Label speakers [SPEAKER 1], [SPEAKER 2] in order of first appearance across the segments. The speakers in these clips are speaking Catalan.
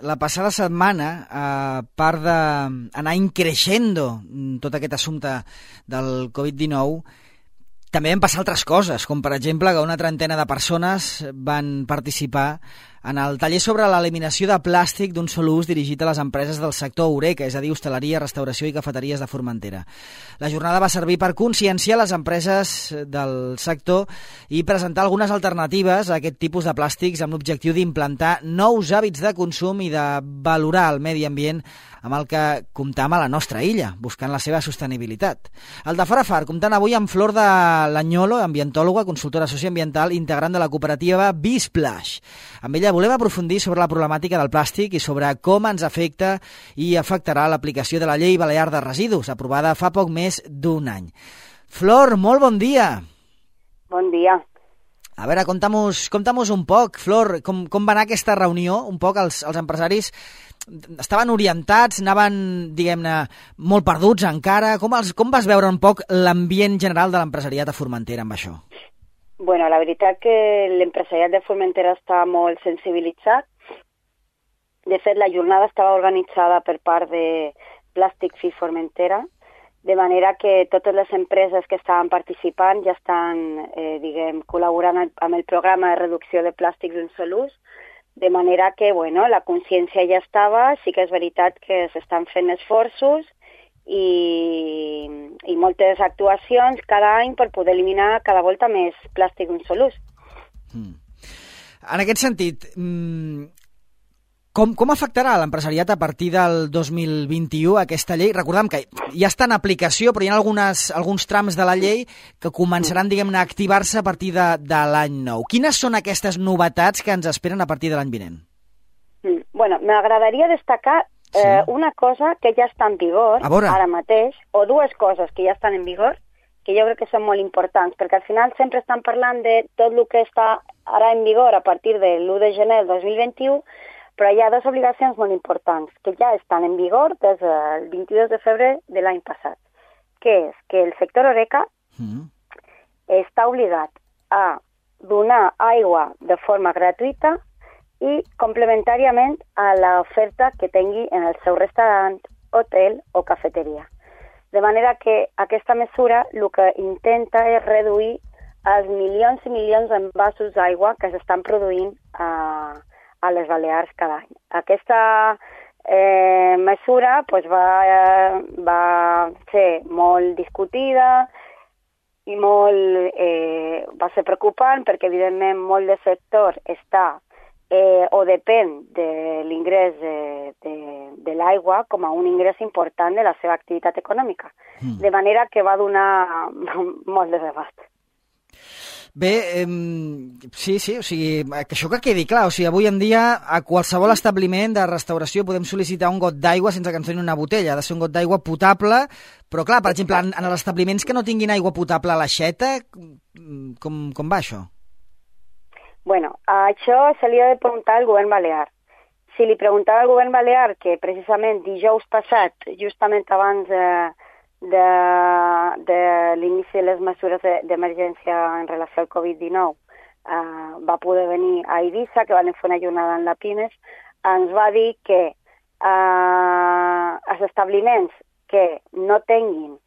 [SPEAKER 1] la passada setmana, a part d'anar increixendo tot aquest assumpte del Covid-19, també van passar altres coses, com per exemple que una trentena de persones van participar en el taller sobre l'eliminació de plàstic d'un sol ús dirigit a les empreses del sector Eureka, és a dir, hostaleria, restauració i cafeteries de Formentera. La jornada va servir per conscienciar les empreses del sector i presentar algunes alternatives a aquest tipus de plàstics amb l'objectiu d'implantar nous hàbits de consum i de valorar el medi ambient amb el que comptam a la nostra illa, buscant la seva sostenibilitat. El de Fora Far, comptant avui amb Flor de Lanyolo, ambientòloga, consultora socioambiental, integrant de la cooperativa Bisplash. Amb ella volem aprofundir sobre la problemàtica del plàstic i sobre com ens afecta i afectarà l'aplicació de la Llei Balear de Residus, aprovada fa poc més d'un any. Flor, molt bon dia.
[SPEAKER 2] Bon dia.
[SPEAKER 1] A veure, conta'm-nos un poc, Flor, com va anar aquesta reunió? Un poc els empresaris estaven orientats, anaven, diguem-ne, molt perduts encara. Com vas veure un poc l'ambient general de l'empresariat a Formentera amb això?
[SPEAKER 2] Bueno, la veritat que l'empresariat de Formentera està molt sensibilitzat. De fet, la jornada estava organitzada per part de Plastic Free Formentera, de manera que totes les empreses que estaven participant ja estan, col·laborant amb el programa de reducció de plàstics d'un sol ús, de manera que, bueno, la consciència ja estava, sí que és veritat que s'estan fent esforços i moltes actuacions cada any per poder eliminar cada volta més plàstic d'un sol ús.
[SPEAKER 1] En aquest sentit, com afectarà l'empresariat a partir del 2021 aquesta llei? Recordem que ja està en aplicació, però hi ha alguns trams de la llei que començaran, diguem-ne, a activar-se a partir de l'any nou. Quines són aquestes novetats que ens esperen a partir de l'any vinent?
[SPEAKER 2] Bueno, m'agradaria destacar una cosa que ja està en vigor ara mateix, o dues coses que ja estan en vigor, que jo crec que són molt importants, perquè al final sempre estan parlant de tot el que està ara en vigor a partir de l'1 de gener del 2021, però hi ha dues obligacions molt importants que ja estan en vigor des del 22 de febrer de l'any passat, que és que el sector Eureka està obligat a donar aigua de forma gratuïta i complementàriament a l'oferta que tingui en el seu restaurant, hotel o cafeteria. De manera que aquesta mesura el que intenta és reduir els milions i milions d'envasos d'aigua que s'estan produint a les Balears cada any. Aquesta mesura va ser molt discutida i va ser preocupant perquè, evidentment, molt del sector està o depèn de l'ingrés de l'aigua com a un ingrés important de la seva activitat econòmica. De manera que va donar molt de debat.
[SPEAKER 1] Bé, sí, o sigui, que això que quedi clar, o sigui, avui en dia a qualsevol establiment de restauració podem sol·licitar un got d'aigua sense que ens donin una botella, ha de ser un got d'aigua potable, però clar, per exemple, en els establiments que no tinguin aigua potable a l'aixeta, com va això?
[SPEAKER 2] Bueno, a això se li ha de preguntar al govern balear. Si li preguntava al govern balear que precisament dijous passat, justament abans de l'inici de les mesures d'emergència en relació al Covid-19, va poder venir a Eivissa, que van fer una jornada en la Pines, ens va dir que els establiments que no tinguin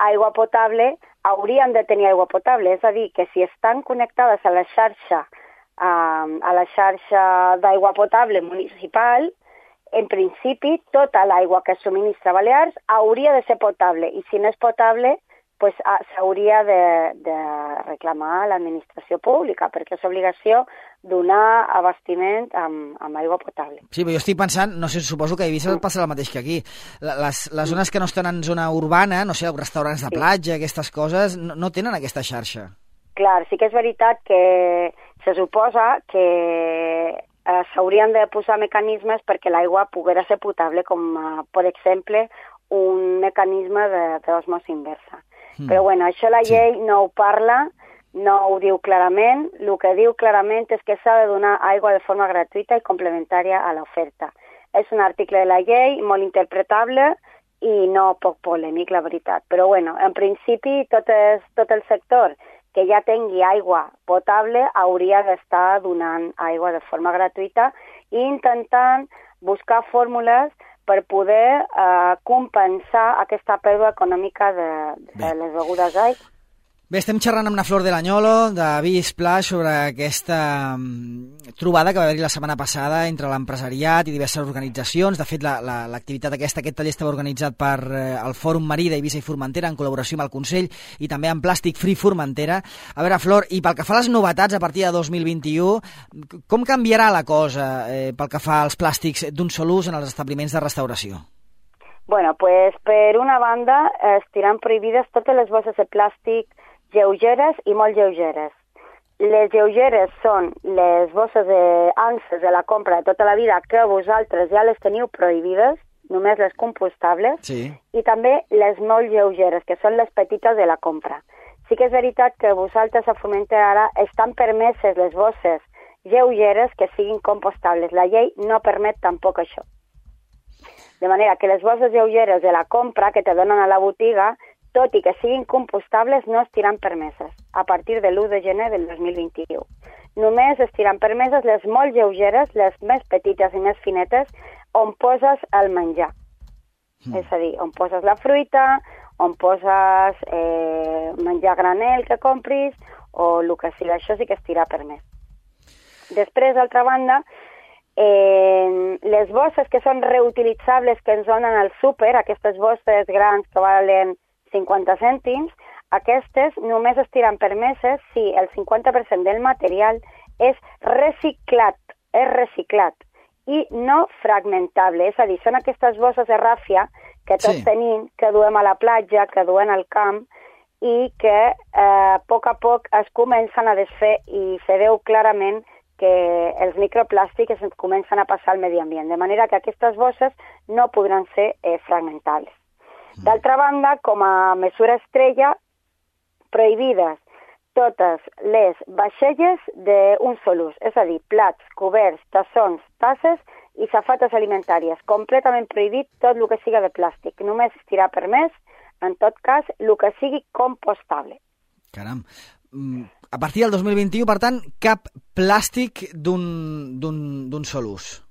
[SPEAKER 2] aigua potable haurien de tenir aigua potable, és a dir, que si estan connectades a la xarxa d'aigua potable municipal, en principi tota l'aigua que subministra Balears hauria de ser potable i si no és potable pues, s'hauria de reclamar a l'administració pública perquè és obligació donar abastiment amb aigua potable.
[SPEAKER 1] Sí, però jo estic pensant, no sé, suposo que a Eivissa passa el mateix que aquí. Les zones que no estan en zona urbana, no sé, restaurants de platja, aquestes coses, no tenen aquesta xarxa.
[SPEAKER 2] Clar, sí que és veritat que se suposa que s'haurien de posar mecanismes perquè l'aigua poguera ser potable, com, per exemple, un mecanisme d'osmosi inversa. Però bueno, això la llei no ho parla, no ho diu clarament. El que diu clarament és que s'ha de donar aigua de forma gratuïta i complementària a l'oferta. És un article de la llei molt interpretable i no poc polèmic, la veritat. Però bueno, en principi tot el sector que ja tingui aigua potable hauria d'estar donant aigua de forma gratuïta i intentant buscar fórmules per poder compensar aquesta pèrdua econòmica de les begudes d'aigua.
[SPEAKER 1] Bé, estem xerrant amb la Flor de l'Anyolo, de Vi Splash, sobre aquesta trobada que va haver-hi la setmana passada entre l'empresariat i diverses organitzacions. De fet, l'activitat aquest taller estava organitzat per el Fòrum Marí d'Eivissa i Formentera en col·laboració amb el Consell i també amb Plàstic Free Formentera. A veure, Flor, i pel que fa a les novetats a partir de 2021, com canviarà la cosa pel que fa als plàstics d'un sol ús en els establiments de restauració?
[SPEAKER 2] Bueno, pues per una banda estiran prohibides totes les bosses de plàstic lleugeres i molt lleugeres. Les lleugeres són les bosses anses de la compra de tota la vida que vosaltres ja les teniu prohibides, només les compostables,
[SPEAKER 1] sí.
[SPEAKER 2] I també les molt lleugeres, que són les petites de la compra. Sí que és veritat que vosaltres a Formentera ara estan permeses les bosses lleugeres que siguin compostables. La llei no permet tampoc això. De manera que les bosses lleugeres de la compra que te donen a la botiga, tot i que siguin compostables, no estiran permeses a partir de l'1 de gener del 2021. Només estiran permeses les molt lleugeres, les més petites i més finetes, on poses el menjar. És a dir, on poses la fruita, on poses menjar granel que compris, o el que sigui, això sí que estirà permès. Després, d'altra banda, les bosses que són reutilitzables que ens donen al súper, aquestes bosses grans que valen 50 cèntims, aquestes només estiran permeses si el 50% del material és reciclat i no fragmentable. És a dir, són aquestes bosses de ràfia que tots tenim, que duem a la platja, que duem al camp i que a poc es comencen a desfer i se veu clarament que els microplàstics es comencen a passar al medi ambient, de manera que aquestes bosses no podran ser fragmentables. D'altra banda, com a mesura estrella, prohibides totes les vaixelles d'un sol ús, és a dir, plats, coberts, tassons, tasses i safates alimentàries. Completament prohibit tot el que siga de plàstic. Només estirà permès, en tot cas, el que sigui compostable.
[SPEAKER 1] Caram. A partir del 2021, per tant, cap plàstic d'un sol ús.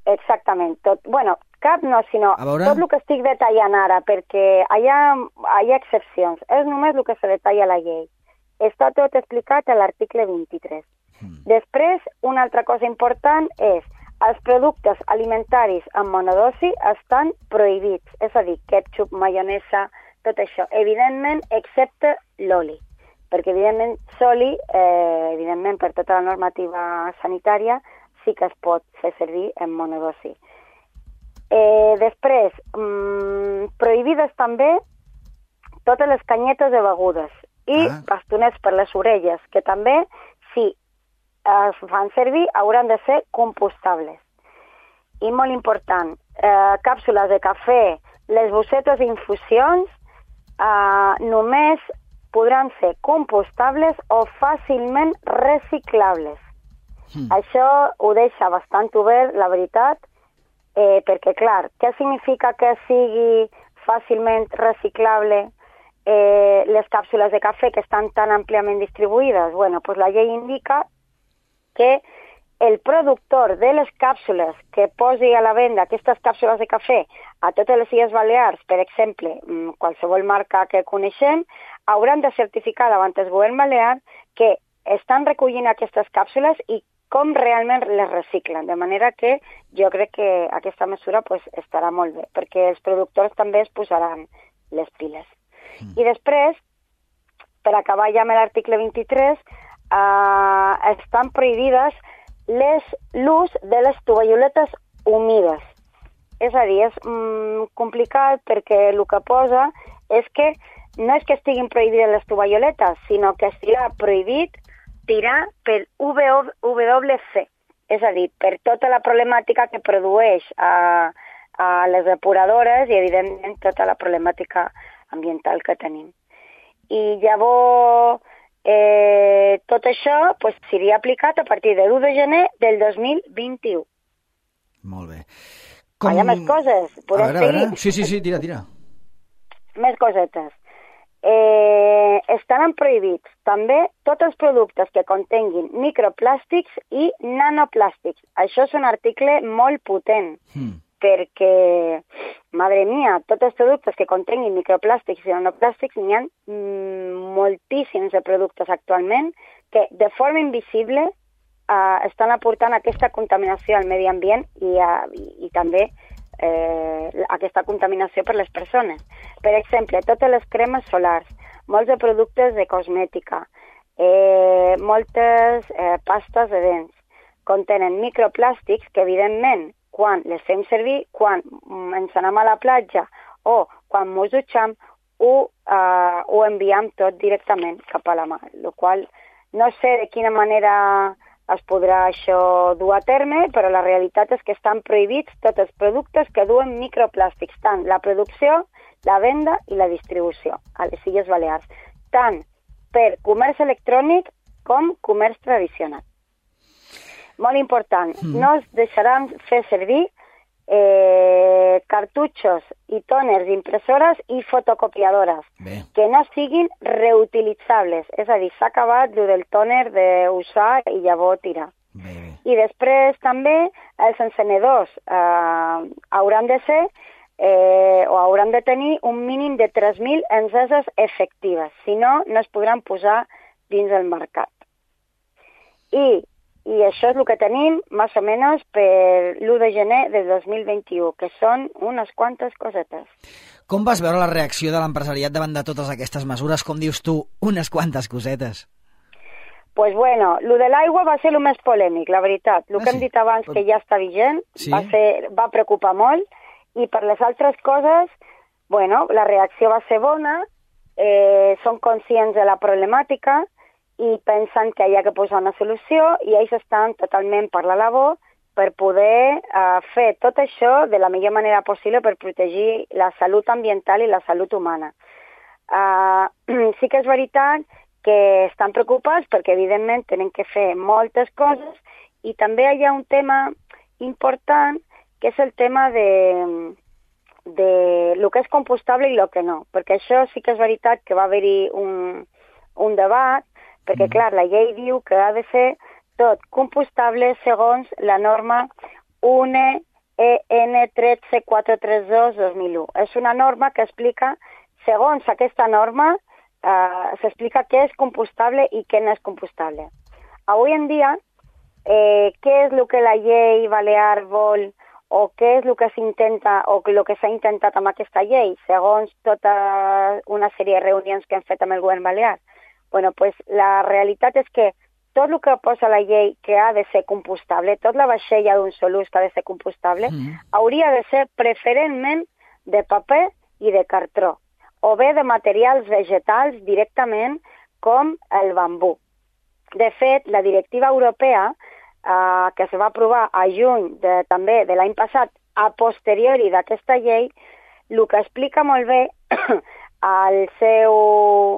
[SPEAKER 2] Exactament. Cap no, sinó tot el que estic detallant ara, perquè hi ha excepcions. És només el que se detalla a la llei. Està tot explicat a l'article 23. Després, una altra cosa important és els productes alimentaris amb monodosi estan prohibits, és a dir, ketchup, maionesa, tot això. Evidentment, excepte l'oli, perquè evidentment l'oli, evidentment per tota la normativa sanitària, sí que es pot fer servir en monodosi. Després, prohibides també totes les canyetes de begudes i bastonets per les orelles, que també, si es fan servir, hauran de ser compostables. I molt important, càpsules de cafè, les bossetes d'infusions, només podran ser compostables o fàcilment reciclables. Això ho deixa bastant obert, la veritat, perquè, clar, què significa que sigui fàcilment reciclable les càpsules de cafè que estan tan àmpliament distribuïdes? Bueno, pues la llei indica que el productor de les càpsules que posi a la venda aquestes càpsules de cafè a totes les Illes Balears, per exemple, qualsevol marca que coneixem, hauran de certificar davant el govern balear que estan recollint aquestes càpsules i com realment les reciclen, de manera que jo crec que aquesta mesura estarà molt bé, perquè els productors també es posaran les piles. I després, per acabar ja amb l'article 23, estan prohibides l'ús de les tovalloletes humides. És a dir, és complicat perquè el que posa és que no és que estiguin prohibides les tovalloletes, sinó que estigui prohibit tirar per WC, és a dir, per tota la problemàtica que produeix a les depuradores i, evidentment, tota la problemàtica ambiental que tenim. I llavors, tot això seria aplicat a partir de l'1 de gener del 2021.
[SPEAKER 1] Molt bé.
[SPEAKER 2] Hi ha més coses, podem seguir?
[SPEAKER 1] Sí, tira.
[SPEAKER 2] Més cosetes. estaran prohibits també tots els productes que contenguin microplàstics i nanoplàstics. Això és un article molt potent, perquè, madre mia, tots els productes que contenguin microplàstics i nanoplàstics, n'hi ha moltíssims de productes actualment que de forma invisible estan aportant aquesta contaminació al medi ambient i també aquesta contaminació per les persones. Per exemple, totes les cremes solars, molts de productes de cosmètica, moltes pastes de dents, contenen microplàstics que, evidentment, quan les fem servir, quan ens anem a la platja o quan ens dutxem, ho enviem tot directament cap a la mar, el qual no sé de quina manera es podrà això dur a terme, però la realitat és que estan prohibits tots els productes que duen microplàstics, tant la producció, la venda i la distribució a les Illes Balears, tant per comerç electrònic com comerç tradicional. Molt important, no es deixaran fer servir cartutxos i tòners d'impressores i fotocopiadores que no siguin reutilitzables. És a dir, s'ha acabat el del tòner d'usar i llavors tirar. I després també els encenedors hauran de ser o hauran de tenir un mínim de 3.000 enceses efectives. Si no, no es podran posar dins el mercat. I això és el que tenim, més o menys, per l'1 de gener de 2021, que són unes quantes cosetes.
[SPEAKER 1] Com vas veure la reacció de l'empresariat davant de totes aquestes mesures? Com dius tu, unes quantes cosetes?
[SPEAKER 2] Pues bueno, lo de l'aigua va ser el més polèmic, la veritat. El que hem dit abans, que ja està vigent, va preocupar molt, i per les altres coses, bueno, la reacció va ser bona, són conscients de la problemàtica, i pensen que hi ha que posar una solució i ells estan totalment per la labor per poder fer tot això de la millor manera possible per protegir la salut ambiental i la salut humana. Sí que és veritat que estan preocupats perquè evidentment tenen que fer moltes coses i també hi ha un tema important que és el tema de lo que és compostable i lo que no, perquè això sí que és veritat que va haver-hi un debat. Perquè, clar, la llei diu que ha de ser tot compostable segons la norma UNE EN 13432-2001. És una norma que explica, segons aquesta norma, s'explica què és compostable i què no és compostable. Avui en dia, què és el que la llei balear vol o què és el que s'intenta o el que s'ha intentat amb aquesta llei, segons tota una sèrie de reunions que hem fet amb el govern balear? Bueno, pues la realitat és que tot el que posa la llei que ha de ser compostable, tot la vaixella d'un sol ús que ha de ser compostable, hauria de ser preferentment de paper i de cartró, o bé de materials vegetals directament com el bambú. De fet, la directiva europea, que se va aprovar a juny també de l'any passat, a posteriori d'aquesta llei, el que explica molt bé a les seves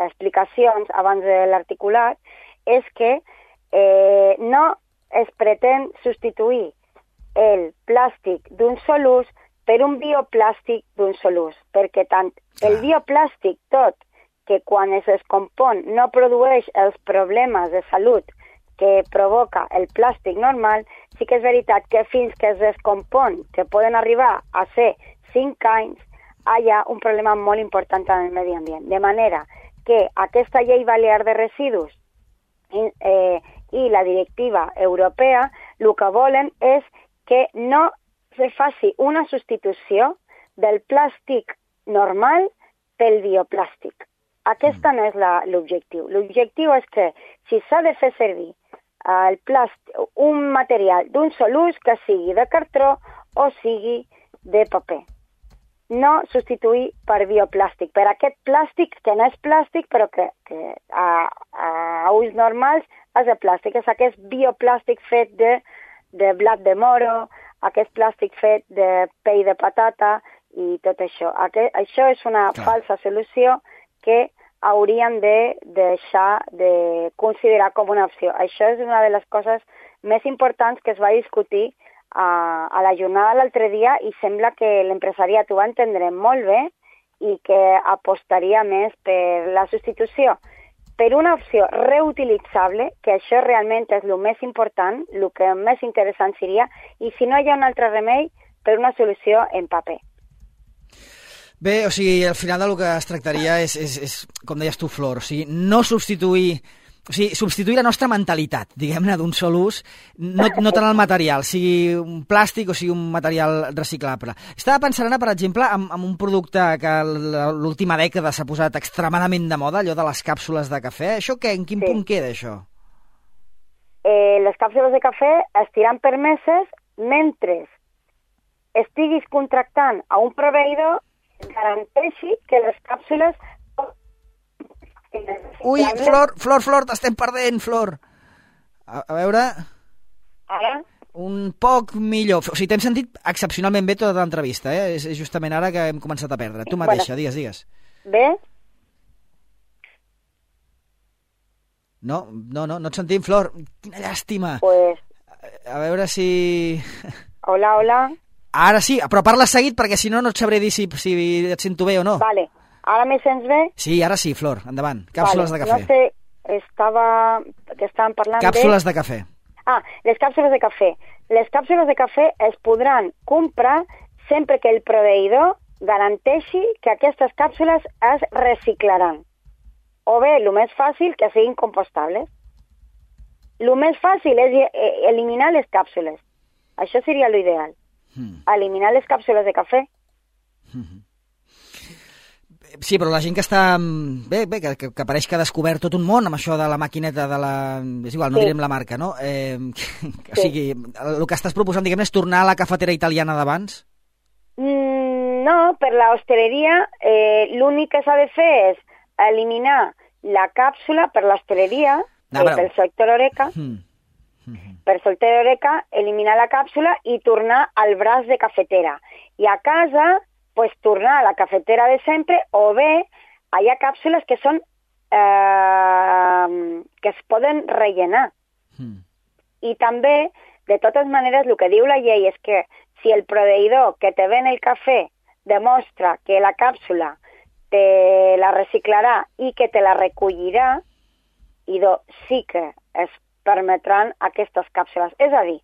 [SPEAKER 2] explicacions abans de l'articulat és que no es pretén substituir el plàstic d'un sol ús per un bioplàstic d'un sol ús, perquè tant el bioplàstic tot, que quan es descompon no produeix els problemes de salut que provoca el plàstic normal, sí que és veritat que fins que es descompon, que poden arribar a ser 5 anys, hi ha un problema molt important en el medi ambient. De manera que aquesta llei balear de residus i la directiva europea el que volen és que no se faci una substitució del plàstic normal pel bioplàstic. Aquest no és l'objectiu. L'objectiu és que si s'ha de fer servir el plàstic, un material d'un sol ús que sigui de cartró o sigui de paper. No substituir per bioplàstic, per aquest plàstic que no és plàstic però que a ús normals és de plàstic. És aquest bioplàstic fet de blat de moro, aquest plàstic fet de pell de patata i tot això. Això és una falsa solució que hauríem de deixar de considerar com una opció. Això és una de les coses més importants que es va discutir a la jornada l'altre dia i sembla que l'empresariat ho va entendre molt bé i que apostaria més per la substitució per una opció reutilitzable, que això realment és el més important, el que més interessant seria, i si no hi ha un altre remei, per una solució en paper.
[SPEAKER 1] Bé, o sigui, al final del que es tractaria és com deies tu, Flor, o sigui, no substituir... O sigui, substituir la nostra mentalitat, diguem-ne, d'un sol ús, no tant el material, sigui un plàstic o sigui un material reciclable. Estava pensant ara, per exemple, en un producte que l'última dècada s'ha posat extremadament de moda, allò de les càpsules de cafè. Això què? En quin punt queda, això?
[SPEAKER 2] Les càpsules de cafè estiran permeses mentre estiguis contractant a un proveïdor garanteixi que les càpsules...
[SPEAKER 1] Ui, Flor, t'estem perdent, Flor. A veure...
[SPEAKER 2] Ara?
[SPEAKER 1] Un poc millor. O sigui, t'hem sentit excepcionalment bé tota l'entrevista, És justament ara que hem començat a perdre. Tu mateixa, digues.
[SPEAKER 2] Bé?
[SPEAKER 1] No et sentim, Flor. Quina llàstima.
[SPEAKER 2] Pues...
[SPEAKER 1] A veure si...
[SPEAKER 2] Hola.
[SPEAKER 1] Ara sí, però parla seguit perquè si no et sabré dir si et sento bé o no.
[SPEAKER 2] Vale. Ara me sents bé?
[SPEAKER 1] Sí, ara sí, Flor, endavant. Càpsules de cafè.
[SPEAKER 2] No sé, que estàvem parlant
[SPEAKER 1] Càpsules de cafè.
[SPEAKER 2] Les càpsules de cafè. Les càpsules de cafè es podran comprar sempre que el proveïdor garanteixi que aquestes càpsules es reciclaran. O bé, el més fàcil, que siguin compostables. El més fàcil és eliminar les càpsules. Això seria l'ideal. Eliminar les càpsules de cafè.
[SPEAKER 1] Sí, però la gent que està... Bé, que pareix que ha descobert tot un món amb això de la maquineta de la... És igual, no direm la marca, no? O sigui, el que estàs proposant, diguem, és tornar a la cafetera italiana d'abans?
[SPEAKER 2] No, per la hosteleria l'únic que s'ha de fer és eliminar la càpsula per l'hosteleria, pel sector Horeca, per sector Horeca, eliminar la càpsula i tornar al braç de cafetera. I a casa... pues tornar a la cafetera de sempre, o bé hi ha càpsules que són que es poden rellenar. I també, de totes maneres, el que diu la llei és que si el proveïdor que te ven el cafè demostra que la càpsula te la reciclarà i que te la recollirà, sí que es permetran aquestes càpsules. És a dir,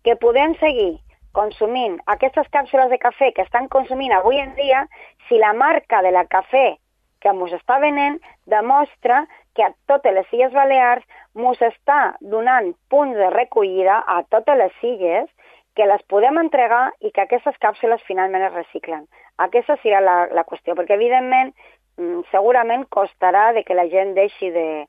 [SPEAKER 2] que podem seguir consumint aquestes càpsules de cafè que estan consumint avui en dia si la marca de la cafè que ens està venent demostra que a totes les Illes Balears ens està donant punts de recollida a totes les illes que les podem entregar i que aquestes càpsules finalment es reciclen. Aquesta serà la qüestió, perquè evidentment segurament costarà de que la gent deixi de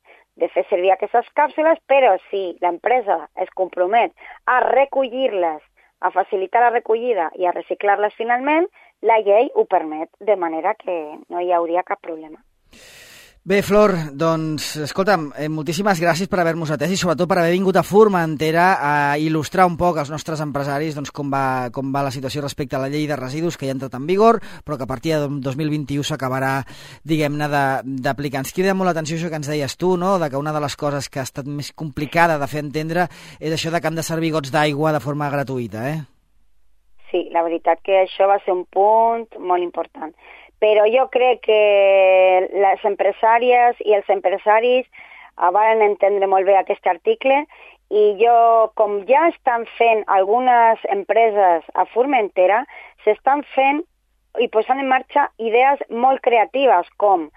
[SPEAKER 2] fer servir aquestes càpsules, però si l'empresa es compromet a recollir-les, a facilitar la recollida i a reciclar-les finalment, la llei ho permet, de manera que no hi hauria cap problema.
[SPEAKER 1] Bé, Flor, doncs, escolta'm, moltíssimes gràcies per haver-nos atès i sobretot per haver vingut a Formentera a il·lustrar un poc als nostres empresaris doncs, com va la situació respecte a la llei de residus que ja ha entrat en vigor, però que a partir de 2021 s'acabarà, diguem-ne, d'aplicar. Ens crida molt l'atenció això que ens deies tu, no?, de que una de les coses que ha estat més complicada de fer entendre és això de que han de servir gots d'aigua de forma gratuïta,
[SPEAKER 2] Sí, la veritat que això va ser un punt molt important. Però jo crec que les empresàries i els empresaris van entendre molt bé aquest article i com ja estan fent algunes empreses a Formentera, s'estan fent i posant en marxa idees molt creatives com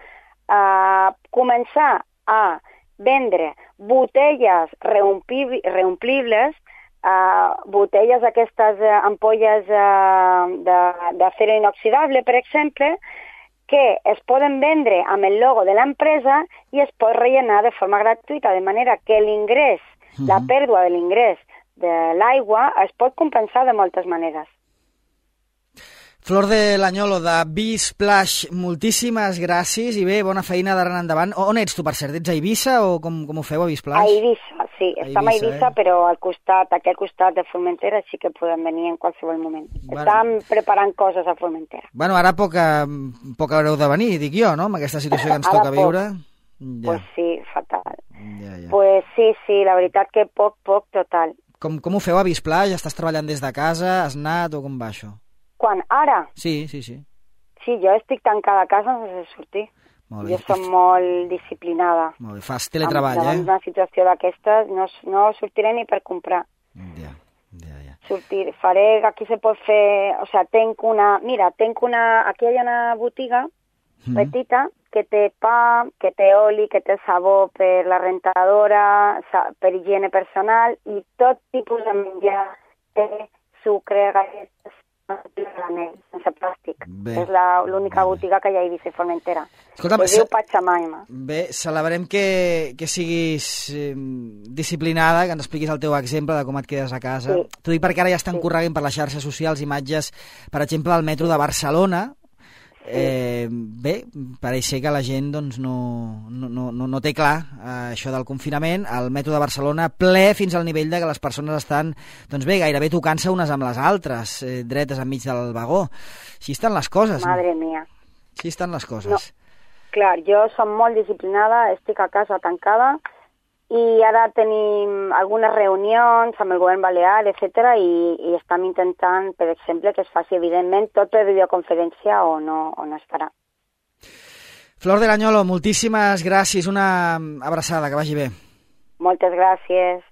[SPEAKER 2] començar a vendre botelles reomplibles, botelles d'aquestes ampolles d'acero inoxidable, per exemple, que es poden vendre amb el logo de l'empresa i es pot rellenar de forma gratuïta, de manera que l'ingrés, la pèrdua de l'ingrés de l'aigua es pot compensar de moltes maneres.
[SPEAKER 1] Flor de l'Anyolo, de Bisplash, moltíssimes gràcies i bé, bona feina d'ara en endavant. On ets tu, per cert? Ets a Eivissa o com ho feu a Bisplash?
[SPEAKER 2] A Eivissa, sí. Estem a Eivissa, però aquí al costat de Formentera sí que podem venir en qualsevol moment. Estem preparant coses a Formentera.
[SPEAKER 1] Bueno, ara poc haureu de venir, dic jo, no?, amb aquesta situació que ens toca viure.
[SPEAKER 2] Pues sí, fatal. Pues sí, la veritat que poc total.
[SPEAKER 1] Com ho feu a Visplà? Ja estàs treballant des de casa? Has anat o com va això?
[SPEAKER 2] Quan? Ara?
[SPEAKER 1] Sí.
[SPEAKER 2] Sí, jo estic tancada a casa sense sortir. Jo soc molt disciplinada.
[SPEAKER 1] Molt bé, fas teletreball,
[SPEAKER 2] davant d'una situació d'aquestes no sortiré ni per comprar.
[SPEAKER 1] Ja.
[SPEAKER 2] Faré, aquí se pot fer, o sea, aquí hi ha una botiga petita que té pa, que té oli, que té sabó per la rentadora, per higiene personal i tot tipus de menjar, té sucre, galletes, sense plàstic. És l'única botiga que hi ha a Eivissa i Formentera.
[SPEAKER 1] Escolta'm,
[SPEAKER 2] es diu Pachamaima.
[SPEAKER 1] Bé, celebrem que siguis disciplinada, que ens expliquis el teu exemple de com et quedes a casa. Sí. T'ho dic perquè ara ja estan correguent per les xarxes socials imatges, per exemple, del metro de Barcelona. Bé, pareix ser que la gent doncs, no té clar això del confinament. El metro de Barcelona ple fins al nivell de que les persones estan doncs bé, gairebé tocant-se unes amb les altres, dretes enmig del vagó. Així estan les coses.
[SPEAKER 2] Madre mia.
[SPEAKER 1] Així estan les coses.
[SPEAKER 2] No. Clar, jo som molt disciplinada, estic a casa tancada i ara tenim algunes reunions amb el govern balear, etc. i estem intentant, per exemple, que es faci evidentment tot per videoconferència o no es farà.
[SPEAKER 1] Flor del Añolo, moltíssimes gràcies, una abraçada, que vagi bé.
[SPEAKER 2] Moltes gràcies.